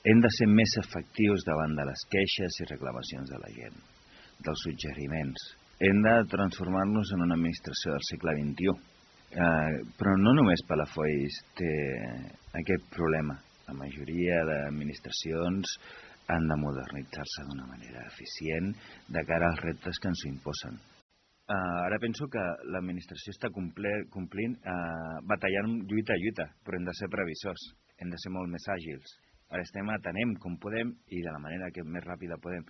Hem de ser més efectius davant de les queixes i reclamacions de la gent, dels suggeriments. Hem de transformar-nos en una administració del segle XXI. Però no només Palafolls té aquest problema. La majoria d'administracions han de modernitzar-se d'una manera eficient de cara als reptes que ens imposen. Ara penso que l'administració està complint, batallant lluita a lluita, però hem de ser previsors, hem de ser molt més àgils. Ara estem atenem com podem i de la manera que més ràpida podem.